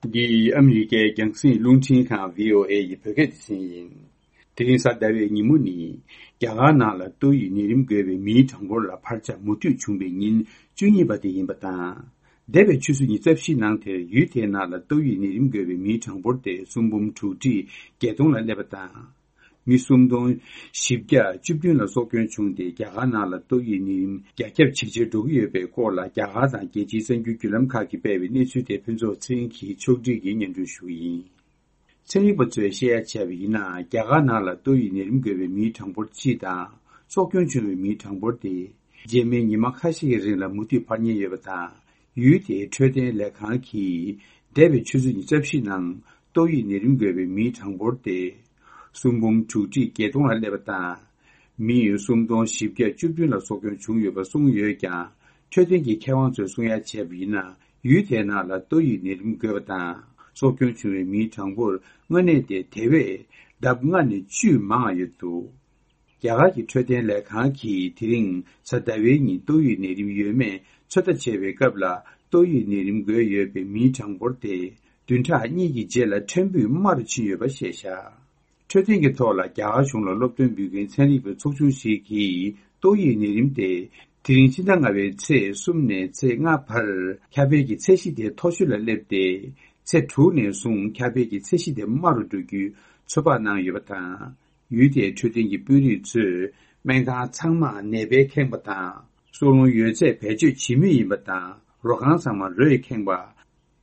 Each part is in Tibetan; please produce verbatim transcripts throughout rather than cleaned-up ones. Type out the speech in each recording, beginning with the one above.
འདི་ཨ་མི་རི་ཀའི་རྒྱང་སྲིང་རླུང་འཕྲིན་ཁང་བྷི་ཨོ་ཨེ་ཡི་བོད་སྐད་སྡེ་ཚན་ཡིན། དེ་རིང་གཟའ་ཟླ་བའི་ཉིན་མོ་ནི། རྒྱ་གར་ནང་ལ་ཏོག་དབྱིབས་ནད་རིམས་འགོས་པའི་མིའི་གྲངས་འབོར་ལ་འཕར་ཆ་མུ་མཐུད་བྱུང་བའི་ཉིན་བཅུ་གཉིས་པ་དེ་ཡིན་པ་དང་། འདས་པའི་ཆུ་ཚོད་ཉི་ཤུ་རྩ་བཞིའི་ནང་དེར་ཡུལ་དེའི་ནང་ལ་ཏོག་དབྱིབས་ནད་རིམས་འགོས་པའི་མིའི་གྲངས་འབོར་དེ་སུམ་འབུམ་དྲུག་ཁྲི་བརྒྱད་སྟོང་ལ་སླེབས་པ་དང་། མི་སུམ་སྟོང་བཞི་བརྒྱ་བཅུ་བདུན་ལ་སྲོག་སྐྱོན་བྱུང་སྟེ། རྒྱ་གར་ནང་ལ་ཏོག་དབྱིབས་ནད་རིམས་རྒྱ་ཁྱབ་ཇེ་ཆེར་འགྲོ་གི་ཡོད་པའི་སྐོར་ལ། རྒྱ་གར་དང་རྒྱལ་སྤྱིའི་གསར་འགྱུར་བརྒྱུད་ལམ་ཁག་གིས་སྤེལ་བའི་གནས་ཚུལ་དེ་ཕུན་ཚོགས་ཚེ་རིང་གིས་ཕྱོགས་སྒྲིག་གིས་སྙན་སྒྲོན་ཞུ་གི་ཡིན། ཚན་རིག་པ་ཚོས་བཤད་ཡ་བྱས་པ་ཡིན་ན། རྒྱ་གར་ནང་ལ་ཏོག་དབྱིབས་ནད་རིམས་འགོས་པའི་མིའི་གྲངས་འབོར་སྤྱི་དང་། སྲོག་སྐྱོན་བྱུང་བའི་མིའི་གྲངས་འབོར་དེ། རྗེས་མའི་ཉི་མ་ཁ་ཤས་ཀྱི་རིང་ལ་མུ་མཐུད་འཕར་ཉེན་ཡོད་པ་དང་། ཡུལ་དེའི་འཕྲོད་བསྟེན་ལས་ཁང་གིས། འདས་པའི་ཆུ་ཚོད་ཉི་ཤུ་རྩ་བཞིའི་ནང་ཏོག་དབྱིབས་ནད་རིམས་འགོས་པའི་མིའི་གྲངས་འབོར་དེ། སུམ་འབུམ་དྲུག་ཁྲི་བརྒྱད་སྟོང་ལ་སླེབས་པ་དང་། མི་སུམ་སྟོང་བཞི་བརྒྱ་བཅུ་བདུན་ལ་སྲོག་སྐྱོན་བྱུང་ཡོད་པ་གསུངས་ཡོད་ཀྱང་། འཕྲོད་བསྟེན་གྱི་མཁས་དབང་ཚོས་གསུང་ཡ་བྱས་པ་ཡིན་ན། ཡུལ་དེའི་ནང་ལ་ཏོག་དབྱིབས་ནད་རིམས་འགོས་པ་དང་། སྲོག་སྐྱོན་བྱུང་བའི་མིའི་གྲངས་འབོར་དངོས་གནས་དེ་དེ་བས་ལྡབ་ལྔ་ནས་བཅུས་མང་བ་ཡོད་འདུག་རྒྱ་གར་གྱི་འཕྲོད་བསྟེན་ལས་ཁང་གིས་དེ་རིང་གཟའ་ཟླ་བའི་ཉིན་ཏོག་དབྱིབས་ནད་རིམས་ཡོད་མེད་ཚོད་ལྟ་བྱས་པའི་སྐབས་ལ། ཏོག་དབྱིབས་ནད་རིམས་འགོས་ཡོད་པའི་མིའི་གྲངས་འབོར་དེ་བདུན་ཕྲག་གཉིས་ཀྱི་རྗེས་ལ་ཕྲན་བུ་དམའ་རུ་ཕྱིན་ཡོད་པ་བཤད་བཞག་འཕྲོད་བསྟེན་གྱི་ཐོག་ལ་རྒྱ་གར་གཞུང་ལ་སློབ་སྟོན་འབུལ་མཁན་ཚན་རིག་པའི་ཚོགས་ཆུང་ཞིག་གིས། ཏོག་དབྱིབས་ནད་རིམས་དེ་དེ་རིང་ཕྱི་ཟླ་ལྔ་པའི་ཚེས་གསུམ་ནས་ཚེས་ལྔ་བར་ཁྱབ་སྤེལ་གྱི་ཚད་གཞི་དེ་མཐོ་ཤོས་ལ་སླེབས་ཏེ། ཚེས་དྲུག་ནས་བཟུང་ཁྱབ་སྤེལ་གྱི་ཚད་གཞི་དེ་དམའ་རུ་འགྲོ་རྒྱུའི་ཚོད་དཔག་གནང་ཡོད་པ་དང་། ཡུལ་དེའི་འཕྲོད་བསྟེན་གྱི་དཔོན་རིགས་ཚོས་སྨན་ཁང་ཚང་མར་ནད་པས་ཁེངས་པ་དང་། སྲོག་རླུང་ཡོད་ཚད་བེད་སྤྱོད་བྱེད་མུས་ཡིན་པ་དང་། རོ་ཁང་ཚང་མར་རོས་ཁེངས་པ།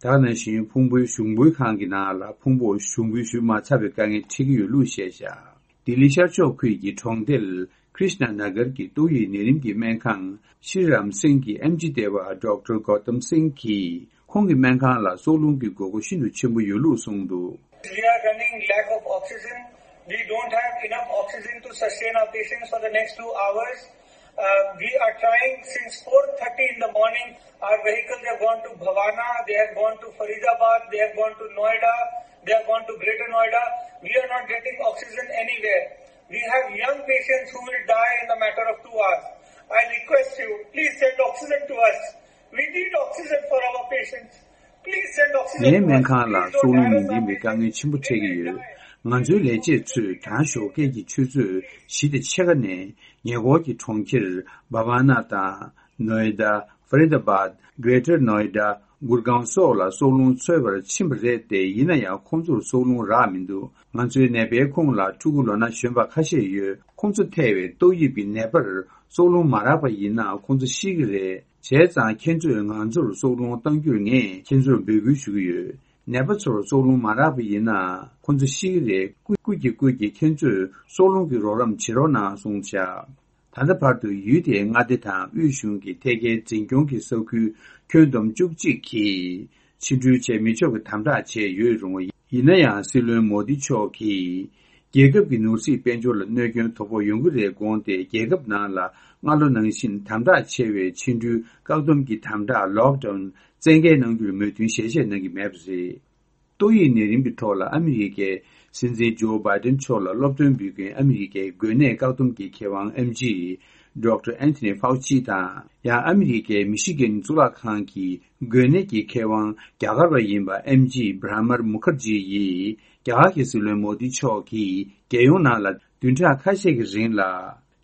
ད་ག་ནང་བཞིན་ཕུང་པོའི་ཞུགས་འབུལ་ཁང་གི་ནང་ལ་ཕུང་པོ་ཞུགས་འབུལ་ཞུ་མ་ཚར་བའི་དཀའ་ངལ་འཕྲད་ཀྱི་ཡོད་ལུགས་བཤད་བཞག་ལྡི་ལི་ཤར་ཕྱོགས་ཁུལ་གྱི་གྲོང་རྡལ་ཀྲིཤ་ན་ན་གར་གྱི་ཏོག་དབྱིབས་ནད་རིམས་ཀྱི་སྨན་ཁང་ཤྲི་རམ་སིང་གི་ཨེམ་ཆི་ལྟེ་བ་ཌོག་ཊར་གོ་ཏམ་སིང་གིས། ཁོང་གི་སྨན་ཁང་ལ་སྲོག་རླུང་གི་དགོས་མཁོ་ཤིན་ཏུ་ཆེན་པོ་ཡོད་ལུགས་གསུངས་འདུག We are running lack of oxygen. We don't have enough oxygen to sustain our patients for the next two hours. Uh, we are trying since four thirty in the morning. Our vehicles have gone to Bhavana, they have gone to Faridabad, they have gone to Noida, they have gone to Greater Noida. We are not getting oxygen anywhere. We have young patients who will die in a matter of two hours. I request you, please send oxygen to us. We need oxygen for our patients. Please send oxygen to us. ངའི་སྨན་ཁང་ལ་སྲོག་རླུང་མི་ལྡན་པའི་དཀའ་ངལ་ཆེན་པོ་འཕྲད་ཀྱི་ཡོད། ང་ཚོའི་ལས་བྱེད་ཚོས་གྲང་ཞོགས་ཀས་ཀྱི་ཆུ་ཚོད་བཞི་དང་ཕྱེད་ཀ་ནས་ཉེ་འཁོར་གྱི་གྲོང་ཁྱེར་བྷ་བྷ་ན་དང་། ནོའེ་ཌ། ཧྥ་རི་ད་བཱད། གྷེ་ཊར་ནོའེ་ཌ། གུར་གང་སོགས་ལ་སྲོག་རླུང་འཚོལ་བར་ཕྱིན་པ་རེད་དེ། ཡིན་ན་ཡང་ཁོང་ཚོར་སྲོག་རླུང་རག་མི་འདུག་ང་ཚོའི་ནད་པའི་ཁོངས་ལ་ཕྲུ་གུ་ལོ་ན་གཞོན་པ་ཁ་ཤས་ཡོད། ཁོང་ཚོ་ཐེ་བའི་ཏོག་དབྱིབས་ཀྱི་ནད་པར་སྲོག་རླུང་མ་རག་པ་ཡིན་ན་ཁོང་ཚོ་ཤི་གི་རེད། བྱས་ཙང་ཁྱེད་ཚོས་ང་ཚོར་སྲོག་རླུང་གཏང་རྒྱུར་ངས་ཁྱེད་ཚོར་འབོད་སྐུལ་ཞུ་གི་ཡོད། ནད་པ་ཚོར་སྲོག་རླུང་མ་རག་པ་ཡིན་ན་ཁོང་ཚོ་ཤི་གི་རེད། སྐུ་སྐུ་གྱིས་སྐུ་གྱིས་ཁྱེད་ཚོས་སྲོག་རླུང་གི་རོགས་རམ་བྱེད་རོགས་གནང་གསུངས་བཞག་ད་ལྟ་བར་དུ་ཡུལ་དེའི་མངའ་སྡེ་དང་དབུས་གཞུང་གི་ཐད་ཀའི་འཛིན་སྐྱོང་གི་ས་ཁུལ་ཁྱོན་བསྡོམས་བཅུ་གཅིག་གིས་ཕྱི་འགྲུལ་བྱེད་མི་ཆོག་གི་དམ་དྲག་བྱས་ཡོད་རུང་། ཡིན་ན་ཡང་སྲིད་བློན་མོ་དི་མཆོག་གིས་རྒྱལ་ཁབ་ཀྱི་ནོར་སྲིད་དཔལ་འབྱོར་ལ་གནོད་སྐྱོན་དོ་ཕོག་ཡོང་གི་རེད་དགོངས་ཏེ། རྒྱལ་ཁབ་ནང་ལ་སྔ་ལོ་ནང་བཞིན་དམ་དྲག་ཆེ་བའི་ཕྱི་འགྲུལ་བཀག་སྡོམ་གྱི་དམ་དྲག་ལོག་ཌའུན་བཙན་འགེལ་གནང་རྒྱུར་མོས་མཐུན་ཞལ་བཞེས་གནང་གི་མེད་པ་རེད། ཏོག་དབྱིབས་ནད་རིམས་ཀྱི་ཐོག་ལ་ཨ་མི་རི་ཀའི་སྲིད་འཛིན་ཇོ་བྷའི་ཌེན་མཆོག་ལ་སློབ་སྟོན་འབུལ་མཁན་ཨ་མི་རི་ཀའི་འགོས་ནད་བཀག་སྡོམ་གྱི་མཁས་དབང་ཨེམ་ཆི་ཌོག་ཊར་ཨན་ཐོ་ནི་ཕའུ་ཆི་དང་། ཡང་ཨ་མི་རི་ཀའི་མི་ཤི་གན་གཙུག་ལག་ཁང་གི་འགོས་ནད་ཀྱི་མཁས་དབང་རྒྱ་གར་བ་ཡིན་པ་ཨེམ་ཆི་བྷྲ་མར་མུ་ཁར་ཇི་ཡིས། རྒྱ་གར་གྱི་སྲིད་བློན་མོ་དི་མཆོག་གིས་རྒྱལ་ཡོངས་ནང་ལ་བདུན་ཕྲག་ཁ་ཤས་ཀྱི་རིང་ལ་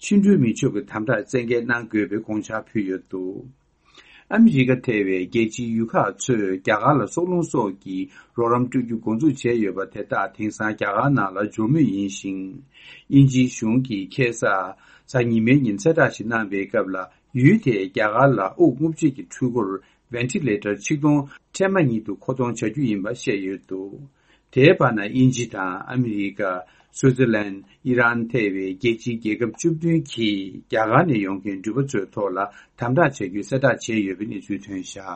ཕྱི་འགྲུལ་མི་ཆོག་གི་དམ་དྲག་བཙན་འགེལ་གནང་དགོས་པའི་དགོངས་འཆར་ཕུལ་ཡོད་འདུག་ཨ་མི་རི་ཀ་ཐེ་བའི་རྒྱལ་སྤྱིའི་ཡུལ་ཁག་ཚོས་རྒྱ་གར་ལ་སྲོག་རླུང་སོགས་ཀྱི་རོགས་རམ་སྤྲོད་རྒྱུ་འགོ་འཛུགས་བྱས་ཡོད་པ་དེ་དག་དེང་སང་རྒྱ་གར་ནང་ལ་འབྱོར་མུས་ཡིན་ཞིང་། དབྱིན་ཇིའི་གཞུང་གིས་ཁ་སང་གཟའ་ཉི་མའི་ཉིན་གསལ་བསྒྲགས་ཤིག་གནང་པའི་སྐབས་ལ། ཡུལ་དེས་རྒྱ་གར་ལ་དབུགས་རྔུབ་བྱེད་ཀྱི་འཕྲུལ་འཁོར་ཝེན་ཊི་ལེ་ཊར་ཆིག་སྟོང་ཁྲལ་མ་ཉིད་དུ་མཁོ་གཏོང་བྱ་རྒྱུ་ཡིན་པ་བཤད་ཡོད་འདུག་དེའི་བར་ན་དབྱིན་ཇི་དང་ཨ་མི་རི་ཀ། སུའུ་ཙི་ལན། ཨི་རན་ཐེ་བའི་རྒྱལ་སྤྱིའི་རྒྱལ་ཁབ་བཅུ་བདུན་གྱིས་རྒྱ་གར་ནས་ཡོང་མཁན་འགྲུལ་པ་ཚོའི་ཐོག་ལ་དམ་དྲག་བྱ་རྒྱུའི་གསལ་བསྒྲགས་བྱས་ཡོད་པའི་གནས་ཚུལ་ཐོན་བཞག